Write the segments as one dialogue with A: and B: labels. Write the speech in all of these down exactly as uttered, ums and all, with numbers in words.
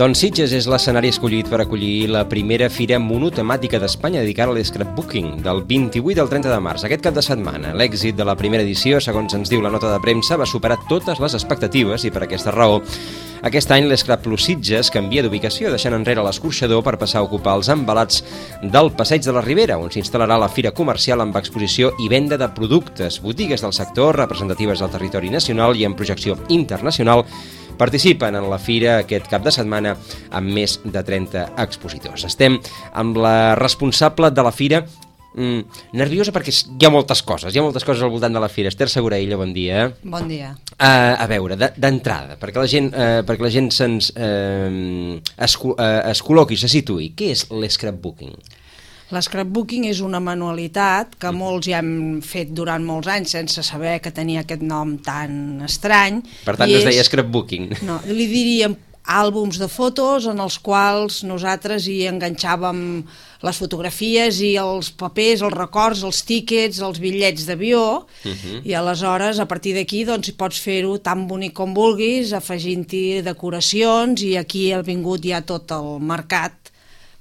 A: Doncs Sitges és l'escenari escollit per acollir la primera fira monotemàtica d'Espanya dedicada a l'scrapbooking del vint-i-vuit al trenta de març. Aquest cap de setmana, l'èxit de la primera edició, segons ens diu la nota de premsa, va superar totes les expectatives i per aquesta raó aquest any l'Scrap Plus Sitges canvia d'ubicació, deixant enrere l'escorxador per passar a ocupar els embalats del Passeig de la Ribera, on s'instal·larà la fira comercial amb exposició i venda de productes, botigues del sector representatives del territori nacional i en projecció internacional. Participen en la fira aquest cap de setmana amb més de trenta expositors. Estem amb la responsable de la fira, mm, nerviosa perquè hi ha moltes coses, hi ha moltes coses al voltant de la fira. Esther Seguraïlla, bon dia.
B: Bon dia.
A: Uh, a veure, d'entrada, perquè la gent, uh, perquè la gent se'ns uh, es, uh, es col·loqui, se situï, què és l'scrapbooking?
B: L'scrapbooking és una manualitat que molts ja hem fet durant molts anys sense saber que tenia aquest nom tan estrany.
A: Per tant, no es deia scrapbooking.
B: No, li diríem àlbums de fotos en els quals nosaltres hi enganxàvem les fotografies i els papers, els records, els tíquets, els bitllets d'avió, uh-huh. I aleshores a partir d'aquí doncs pots fer-ho tan bonic com vulguis, afegint-hi decoracions, i aquí ha vingut ja tot el mercat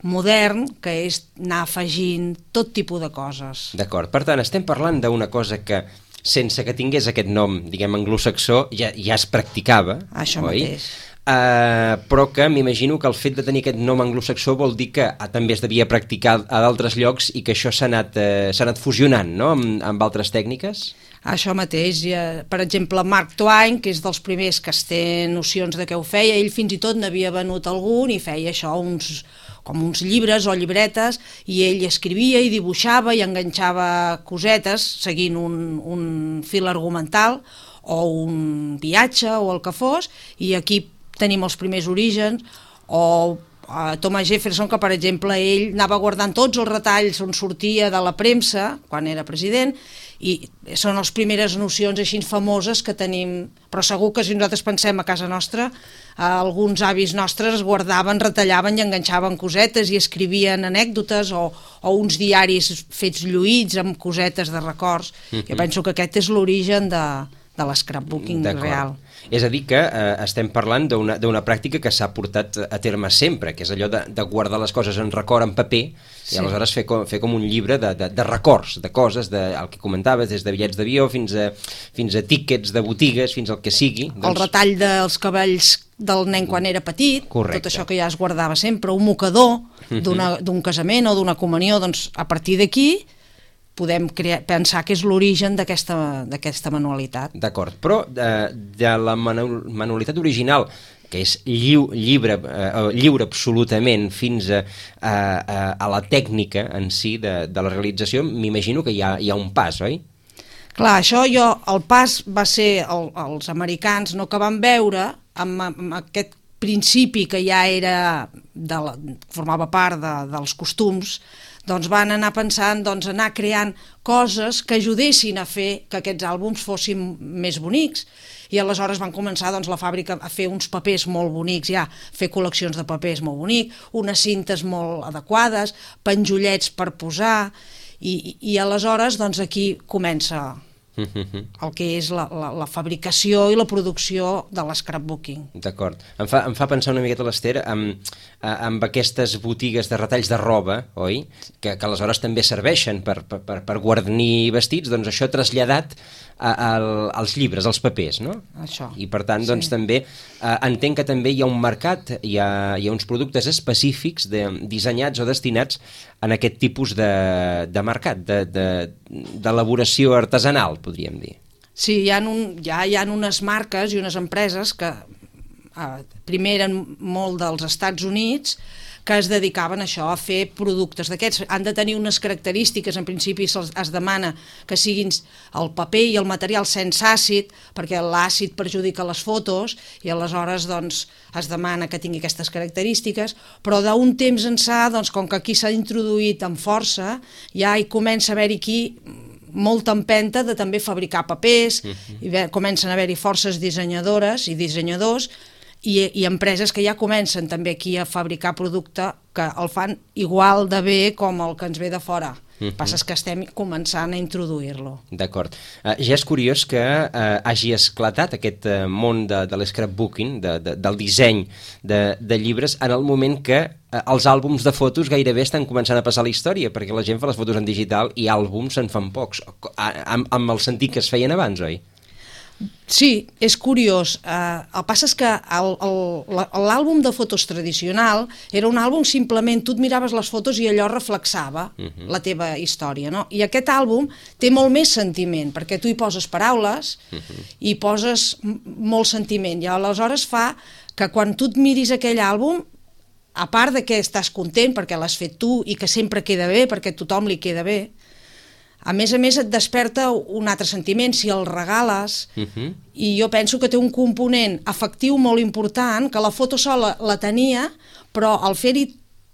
B: modern, que és anar afegint tot tipus de coses.
A: D'acord, per tant, estem parlant d'una cosa que, sense que tingués aquest nom, diguem, anglosaxó, ja, ja es practicava,
B: això
A: oi?
B: Mateix.
A: Uh, però que m'imagino que el fet de tenir aquest nom anglosaxó vol dir que ah, també es devia practicar a d'altres llocs i que això s'ha anat, uh, s'ha anat fusionant, no?, amb, amb altres tècniques?
B: Això mateix. Per exemple, Mark Twain, que és dels primers que es té nocions de què ho feia, ell fins i tot n'havia venut algun i feia això, uns, com uns llibres o llibretes, i ell escrivia i dibuixava i enganxava cosetes seguint un, un fil argumental o un viatge o el que fos, i aquí tenim els primers orígens. O uh, Thomas Jefferson, que per exemple ell anava guardant tots els retalls on sortia de la premsa quan era president, i són les primeres nocions així famoses que tenim, però segur que si nosaltres pensem a casa nostra, eh, alguns avis nostres guardaven, retallaven i enganxaven cosetes i escrivien anècdotes o, o uns diaris fets lluïts amb cosetes de records. Mm-hmm. Jo penso que aquest és l'origen de, de l'scrapbooking real.
A: És a dir que eh, estem parlant d'una d'una pràctica que s'ha portat a terme sempre, que és allò de, de guardar les coses en record, en paper, sí. I aleshores fer com, fer com un llibre de, de, de records, de coses, de, el que comentaves, des de bitllets d'avió fins a, fins a tíquets de botigues, fins al que sigui.
B: Doncs... El retall dels cabells del nen quan era petit,
A: correcte.
B: Tot això que ja es guardava sempre, un mocador d'un casament o d'una comunió, doncs a partir d'aquí podem crear, pensar que és l'origen d'aquesta manualitat.
A: D'acord, però de, de la manu manualitat original, que és lliu, lliure, eh, lliure absolutament, fins a, a, a la tècnica en si de, de la realització, m'imagino que hi ha, hi ha un pas, oi?
B: Clar, això jo, el pas va ser el, els americans, no, que van veure amb, amb aquest principi que ja era de la, formava part de, dels costums, doncs van anar pensant, doncs anar creant coses que ajudessin a fer que aquests àlbums fossin més bonics, i aleshores van començar doncs, la fàbrica a fer uns papers molt bonics, ja, fer col·leccions de papers molt bonics, unes cintes molt adequades, penjollets per posar, i, i aleshores doncs, aquí comença el que és la, la, la fabricació i la producció de l'scrapbooking.
A: D'acord. Em fa, em fa pensar una miqueta l'Ester amb, amb aquestes botigues de retalls de roba, oi? Que, que aleshores també serveixen per, per, per guarnir vestits, doncs això traslladat a, a, als llibres, als papers, no?
B: Això.
A: I per tant, doncs sí. També eh, entenc que també hi ha un mercat, hi ha, hi ha uns productes específics de, dissenyats o destinats en aquest tipus de, de mercat, d'elaboració de, artesanal, podríem dir.
B: Sí, hi ha, un, ja hi ha unes marques i unes empreses que eh, primer eren molt dels Estats Units, que es dedicaven a això, a fer productes d'aquests. Han de tenir unes característiques, en principi es, es demana que siguin el paper i el material sense àcid, perquè l'àcid perjudica les fotos, i aleshores doncs, es demana que tingui aquestes característiques, però d'un temps ençà, doncs, com que aquí s'ha introduït amb força, ja hi comença a haver-hi aquí molta empenta de també fabricar papers, uh-huh. I ve, comencen a haver-hi forces dissenyadores i dissenyadors, i, i empreses que ja comencen també aquí a fabricar producte que el fan igual de bé com el que ens ve de fora. Uh-huh. Passa que estem començant a introduir-lo.
A: D'acord. Uh, ja és curiós que uh, hagi esclatat aquest uh, món de, de l'escrapbooking, de, de, del disseny de, de llibres, en el moment que uh, els àlbums de fotos gairebé estan començant a passar la història, perquè la gent fa les fotos en digital i àlbums se'n fan pocs, amb, amb el sentit que es feien abans, oi?
B: Sí, és curiós. Uh, el que passa és que l'àlbum de fotos tradicional era un àlbum simplement, tu et miraves les fotos i allò reflexava uh-huh. la teva història, no? I aquest àlbum té molt més sentiment, perquè tu hi poses paraules uh-huh. i poses molt sentiment, i aleshores fa que quan tu et miris aquell àlbum, a part de que estàs content perquè l'has fet tu i que sempre queda bé, perquè a tothom li queda bé, a més a més et desperta un altre sentiment si el regales, uh-huh. i jo penso que té un component afectiu molt important, que la foto sola la tenia, però al fer-hi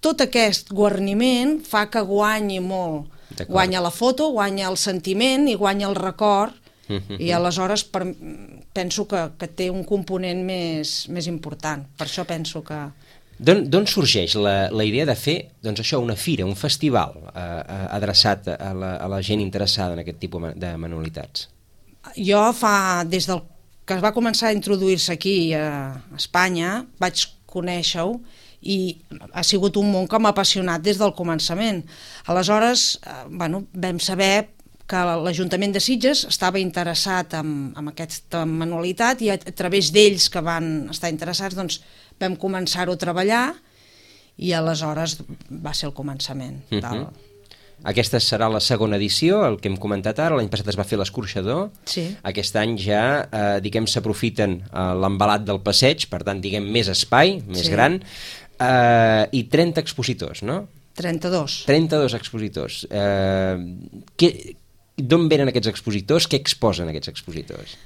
B: tot aquest guarniment fa que guanyi molt. Guanya la foto, guanya el sentiment i guanya el record, uh-huh. i aleshores per, penso que, que té un component més, més important. Per això penso que...
A: D'on sorgeix la, la idea de fer doncs això, una fira, un festival eh, adreçat a la, a la gent interessada en aquest tipus de manualitats?
B: Jo fa, des del que es va començar a introduir-se aquí a Espanya, vaig conèixer-ho i ha sigut un món que m'ha apassionat des del començament. Aleshores, eh, bueno, vam saber que l'Ajuntament de Sitges estava interessat en, en aquesta manualitat i a, a través d'ells que van estar interessats, doncs vam començar-ho a treballar i aleshores va ser el començament. Uh-huh. Del...
A: Aquesta serà la segona edició, el que hem comentat ara. L'any passat es va fer l'Escorxador.
B: Sí.
A: Aquest any ja, eh, diguem, s'aprofiten eh, l'embalat del passeig, per tant, diguem, més espai, més sí. gran, eh, i trenta expositors, no?
B: trenta-dos.
A: trenta-dos expositors. Eh, que, d'on venen aquests expositors? Què exposen aquests expositors?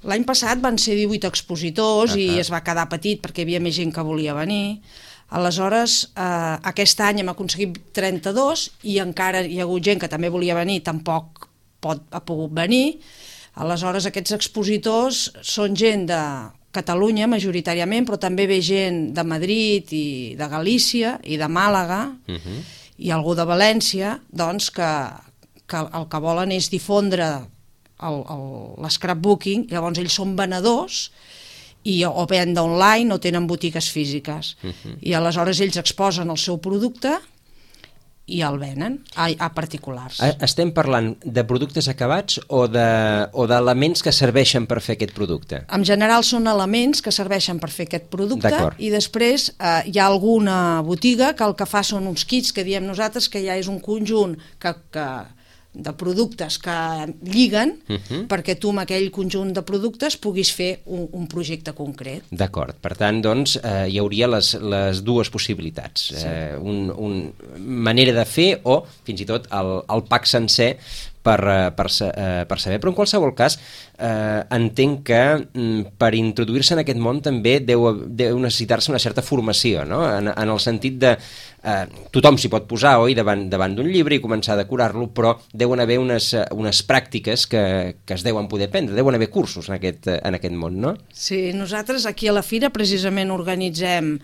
B: L'any passat van ser divuit expositors uh-huh. i es va quedar petit perquè hi havia més gent que volia venir. Aleshores, eh, aquest any hem aconseguit trenta-dos i encara hi ha hagut gent que també volia venir, tampoc pot, ha pogut venir. Aleshores, aquests expositors són gent de Catalunya majoritàriament, però també ve gent de Madrid i de Galícia i de Màlaga uh-huh. i algú de València, doncs que, que el que volen és difondre l'escrapbooking, llavors ells són venedors i o venen online o tenen botigues físiques uh-huh. i aleshores ells exposen el seu producte i el venen a, a particulars.
A: Estem parlant de productes acabats o d'elements de, que serveixen per fer aquest producte?
B: En general són elements que serveixen per fer aquest producte i després eh, hi ha alguna botiga que el que fa són uns kits que diem nosaltres que ja és un conjunt que... que de productes que lliguen uh-huh. perquè tu amb aquell conjunt de productes puguis fer un, un projecte concret.
A: D'acord, per tant, doncs, eh, hi hauria les, les dues possibilitats. Sí. Eh, un, un manera de fer o, fins i tot, el, el pack sencer per, per, per saber. Però en qualsevol cas, eh, entenc que mm, per introduir-se en aquest món també deu, deu necessitar-se una certa formació, no? En, en el sentit de eh, tothom s'hi pot posar, oi, davant, davant d'un llibre i començar a decorar-lo, però deuen haver unes, unes pràctiques que, que es deuen poder prendre, deuen haver cursos en aquest, en aquest món, no?
B: Sí, nosaltres aquí a la Fira precisament organitzem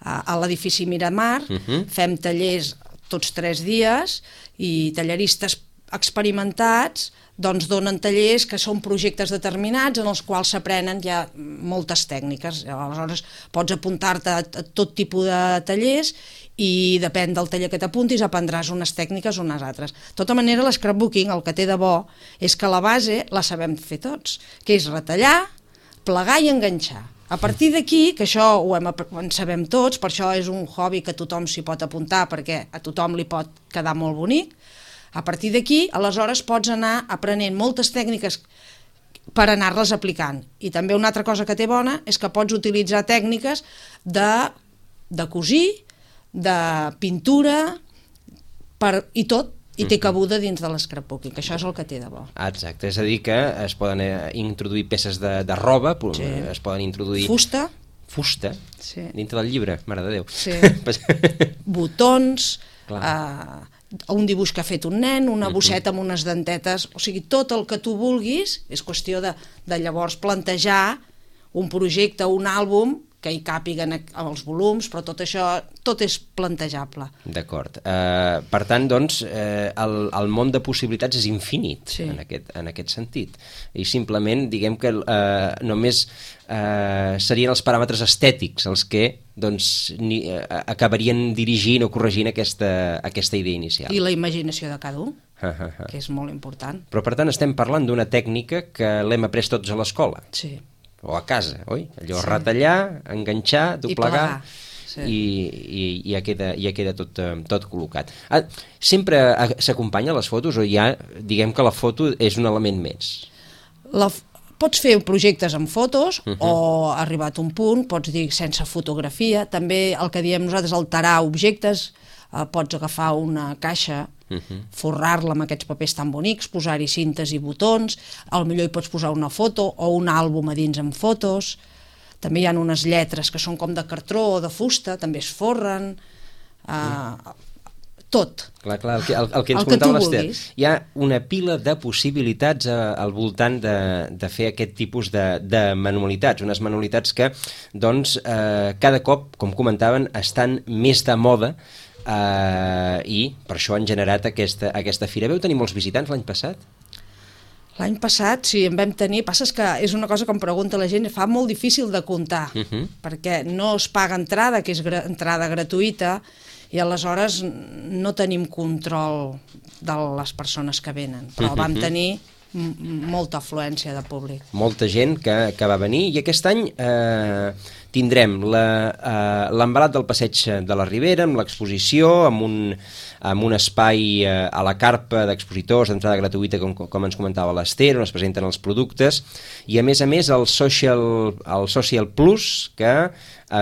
B: a, a l'edifici Miramar, uh-huh. fem tallers tots tres dies i talleristes experimentats doncs donen tallers que són projectes determinats en els quals s'aprenen ja moltes tècniques. Aleshores pots apuntar-te a tot tipus de tallers i depèn del taller que t'apuntis aprendràs unes tècniques o unes altres. De tota manera, l'escrapbooking el que té de bo és que la base la sabem fer tots, que és retallar, plegar i enganxar. A partir d'aquí, que això ho hem, en sabem tots, per això és un hobby que tothom s'hi pot apuntar perquè a tothom li pot quedar molt bonic. A partir d'aquí, aleshores, pots anar aprenent moltes tècniques per anar-les aplicant. I també una altra cosa que té bona és que pots utilitzar tècniques de, de cosir, de pintura, per, i tot, i té cabuda dins de l'escrapbooking, que això és el que té de bo.
A: Exacte, és a dir que es poden introduir peces de, de roba, sí. es poden introduir...
B: Fusta.
A: Fusta?
B: Sí.
A: Dintre del llibre, mare de Déu.
B: Sí. Botons... Uh, un dibuix que ha fet un nen, una bosseta amb unes dentetes, o sigui, tot el que tu vulguis, és qüestió de, de llavors plantejar un projecte, un àlbum que hi càpiguen els volums, però tot això, tot és plantejable.
A: D'acord. Uh, per tant, doncs, uh, el, el món de possibilitats és infinit, sí. en, aquest, en aquest sentit. I simplement, diguem que uh, només uh, serien els paràmetres estètics els que doncs, ni, uh, acabarien dirigint o corregint aquesta, aquesta idea inicial.
B: I la imaginació de cada un, que és molt important.
A: Però, per tant, estem parlant d'una tècnica que l'hem après tots a l'escola.
B: Sí.
A: O a casa, oi? Allò, sí. Retallar, enganxar, doblegar, i, sí. i, i, i ja queda, ja queda tot, tot col·locat. Ah, sempre s'acompanya les fotos o ja, diguem que la foto és un element més?
B: La, pots fer projectes amb fotos uh -huh. o arribat a un punt, pots dir sense fotografia, també el que diem nosaltres alterar objectes, eh, pots agafar una caixa, Uh -huh. forrar-la amb aquests papers tan bonics, posar-hi cintes i botons, al millor hi pots posar una foto o un àlbum a dins amb fotos. També hi ha unes lletres que són com de cartró o de fusta, també es forren, uh, uh. tot.
A: Clar, clar, el que, el, el que ens el comentava l'Ester. Hi ha una pila de possibilitats a, al voltant de, de fer aquest tipus de, de manualitats, unes manualitats que doncs, eh, cada cop, com comentaven, estan més de moda. Uh, i per això han generat aquesta, aquesta fira. Veu tenir molts visitants l'any passat?
B: L'any passat sí, en vam tenir, passa que és una cosa que em pregunta la gent, fa molt difícil de comptar, uh -huh. perquè no es paga entrada, que és gra entrada gratuïta, i aleshores no tenim control de les persones que venen, però uh -huh. vam tenir molta afluència de públic. Molta
A: gent que, que va venir, i aquest any eh, tindrem l'embalat uh, del Passeig de la Ribera, amb l'exposició, amb un, amb un espai uh, a la carpa d'expositors d'entrada gratuïta, com, com ens comentava l'Ester, on es presenten els productes, i a més a més el Social, el Social Plus, que,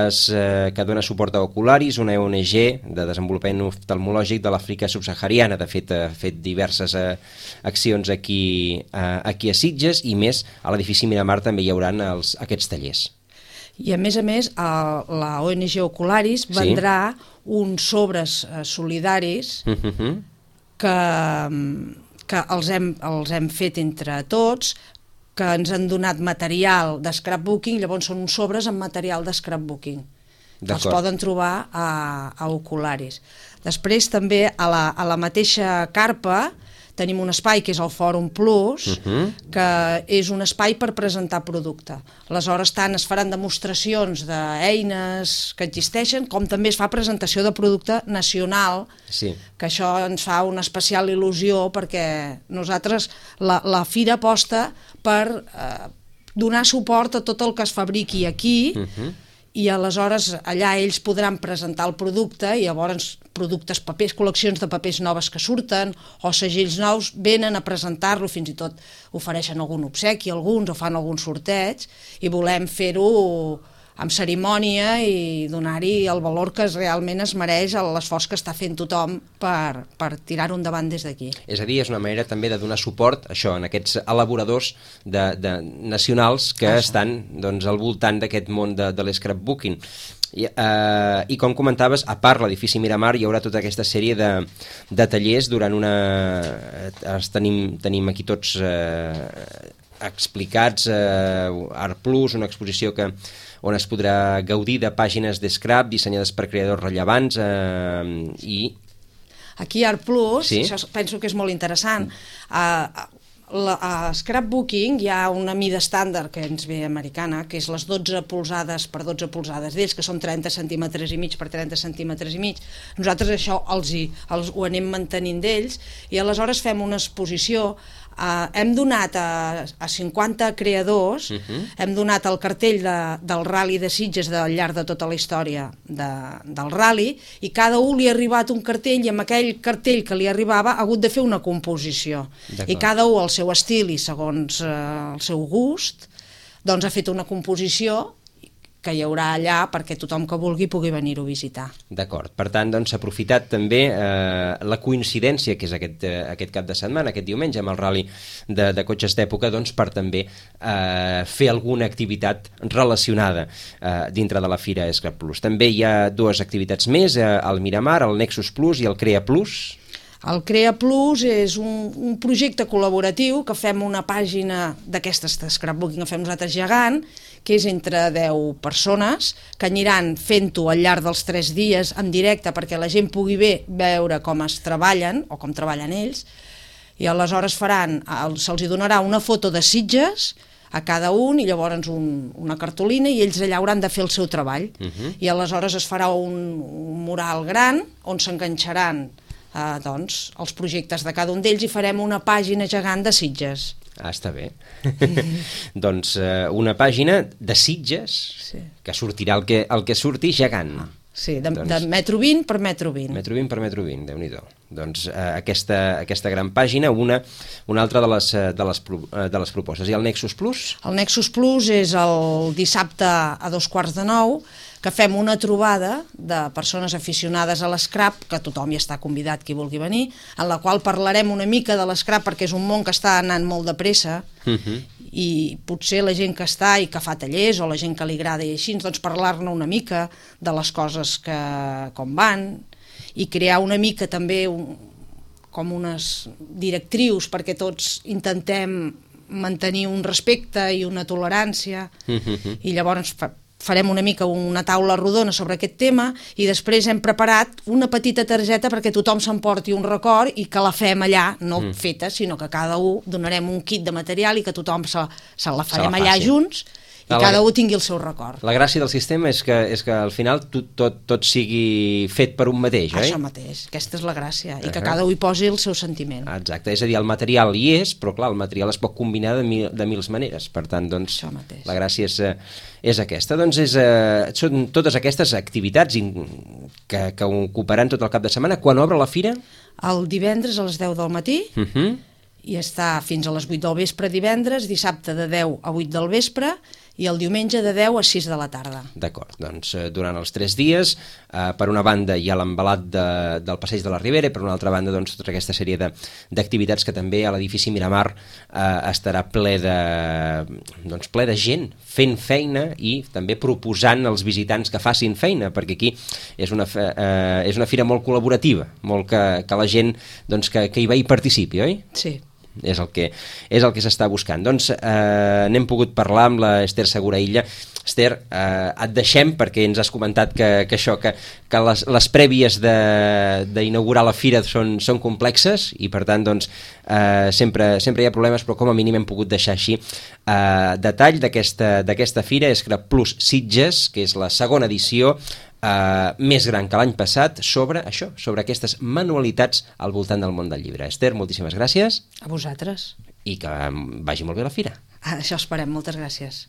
A: es, uh, que dona suport a Ocularis, una O N G de desenvolupament oftalmològic de l'Àfrica subsahariana. De fet, ha fet diverses uh, accions aquí, uh, aquí a Sitges, i més a l'edifici Miramar també hi haurà els, aquests tallers.
B: I a més a més, la O N G Ocularis vendrà sí. uns sobres solidaris uh-huh. que, que els, hem, els hem fet entre tots, que ens han donat material de scrapbooking, llavors són uns sobres amb material de scrapbooking. Els poden trobar a, a Ocularis. Després també a la, a la mateixa carpa tenim un espai que és el Fòrum Plus, uh-huh. que és un espai per presentar producte. Aleshores, tant es faran demostracions d'eines que existeixen, com també es fa presentació de producte nacional, sí. que això ens fa una especial il·lusió, perquè nosaltres, la, la fira aposta per eh, donar suport a tot el que es fabriqui aquí, uh-huh. i aleshores allà ells podran presentar el producte, i llavors productes, papers, col·leccions de papers noves que surten o segells nous venen a presentar-lo, fins i tot ofereixen algun obsequi, alguns, o fan algun sorteig, i volem fer-ho amb cerimònia i donar-hi el valor que realment es mereix a l'esforç que està fent tothom per, per tirar-ho endavant des d'aquí.
A: És a dir, és una manera també de donar suport això, en aquests elaboradors de, de nacionals que ah, estan doncs, al voltant d'aquest món de, de l'escrapbooking. I, uh, i com comentaves, a part l'edifici Miramar hi haurà tota aquesta sèrie de, de tallers durant una... Els tenim, tenim aquí tots eh, explicats, eh, Art Plus, una exposició que on es podrà gaudir de pàgines de scrap dissenyades per creadors rellevants eh, i...
B: Aquí a Art Plus, sí? Això penso que és molt interessant, a, la, a Scrapbooking hi ha una mida estàndard que ens ve americana, que és les dotze polzades per dotze polzades d'ells, que són trenta centímetres i mig per trenta centímetres i mig. Nosaltres això els hi, els, ho anem mantenint d'ells, i aleshores fem una exposició. Uh, hem donat a, a cinquanta creadors, uh-huh. hem donat el cartell de, del Rally de Sitges al llarg de tota la història de, del Rally, i cada un li ha arribat un cartell, i amb aquell cartell que li arribava ha hagut de fer una composició, i cada un al seu estil i segons uh, el seu gust doncs ha fet una composició que hi haurà allà perquè tothom que vulgui pugui venir-ho a visitar.
A: D'acord, per tant, doncs, s'ha aprofitat també eh, la coincidència que és aquest, eh, aquest cap de setmana, aquest diumenge, amb el Rally de, de cotxes d'època, doncs, per també eh, fer alguna activitat relacionada eh, dintre de la Fira Scrap Plus. També hi ha dues activitats més, eh, el Miramar, el Nexus Plus i el Crea Plus.
B: El Crea Plus és un, un projecte col·laboratiu que fem una pàgina d'aquestes de scrapbooking que fem nosaltres gegant, que és entre deu persones, que aniran fent-ho al llarg dels tres dies en directe perquè la gent pugui bé veure com es treballen o com treballen ells, i aleshores faran, se'ls donarà una foto de Sitges a cada un i llavors un, una cartolina i ells allà hauran de fer el seu treball. Uh-huh. I aleshores es farà un, un mural gran on s'enganxaran eh, doncs, els projectes de cada un d'ells i farem una pàgina gegant de Sitges.
A: Ah, està bé. Doncs eh, una pàgina de Sitges, sí, que sortirà el que, el que surti gegant. Ah.
B: Sí, de, doncs, de metro vint per metro vint.
A: Metro vint per metro vint, Déu-n'hi-do. Doncs eh, aquesta, aquesta gran pàgina, una, una altra de les, de, les, de les propostes. I el Nexus Plus?
B: El Nexus Plus és el dissabte a dos quarts de nou, que fem una trobada de persones aficionades a l'escrap, que tothom hi està convidat qui vulgui venir, en la qual parlarem una mica de l'escrap perquè és un món que està anant molt de pressa, uh-huh, i potser la gent que està i que fa tallers o la gent que li agrada i així, doncs parlar-ne una mica de les coses que com van i crear una mica també un, com unes directrius perquè tots intentem mantenir un respecte i una tolerància, uh-huh, i llavors fa, farem una mica una taula rodona sobre aquest tema i després hem preparat una petita targeta perquè tothom s'emporti un record i que la fem allà, no mm. feta, sinó que cada un donarem un kit de material i que tothom se, se la farem se la allà junts i la, cada un tingui el seu record.
A: La gràcia del sistema és que, és que al final tot, tot, tot sigui fet per un mateix, oi?
B: Això mateix, aquesta és la gràcia, i que uh-huh, cada un hi posi el seu sentiment.
A: Exacte, és a dir, el material hi és, però clar, el material es pot combinar de, mil, de mils maneres, per tant, doncs, la gràcia és, és aquesta. Doncs és, eh, són totes aquestes activitats que, que ocuparan tot el cap de setmana. Quan obre la fira?
B: El divendres a les deu del matí, uh-huh, i està fins a les vuit del vespre divendres, dissabte de deu a vuit del vespre, i el diumenge de deu a sis de la tarda.
A: D'acord, doncs eh, durant els tres dies, eh, per una banda hi ha l'embalat de, del Passeig de la Ribera i per una altra banda doncs, tota aquesta sèrie d'activitats que també a l'edifici Miramar eh, estarà ple de, doncs, ple de gent fent feina i també proposant als visitants que facin feina, perquè aquí és una, eh, és una fira molt col·laborativa, molt que, que la gent doncs, que, que hi va i participi, oi?
B: Sí.
A: És el que, és el que s'està buscant. Doncs eh, n'hem pogut parlar amb la Esther Seguraïlla. Esther, eh, et deixem perquè ens has comentat que, que això, que, que les, les prèvies d'inaugurar la fira són, són complexes i per tant doncs, eh, sempre, sempre hi ha problemes, però com a mínim hem pogut deixar així eh, detall d'aquesta fira, Scrap Plus Sitges, que és la segona edició, Uh, més gran que l'any passat, sobre això, sobre aquestes manualitats al voltant del món del llibre. Esther, moltíssimes gràcies.
B: A vosaltres.
A: I que vagi molt bé la fira.
B: Això esperem, moltes gràcies.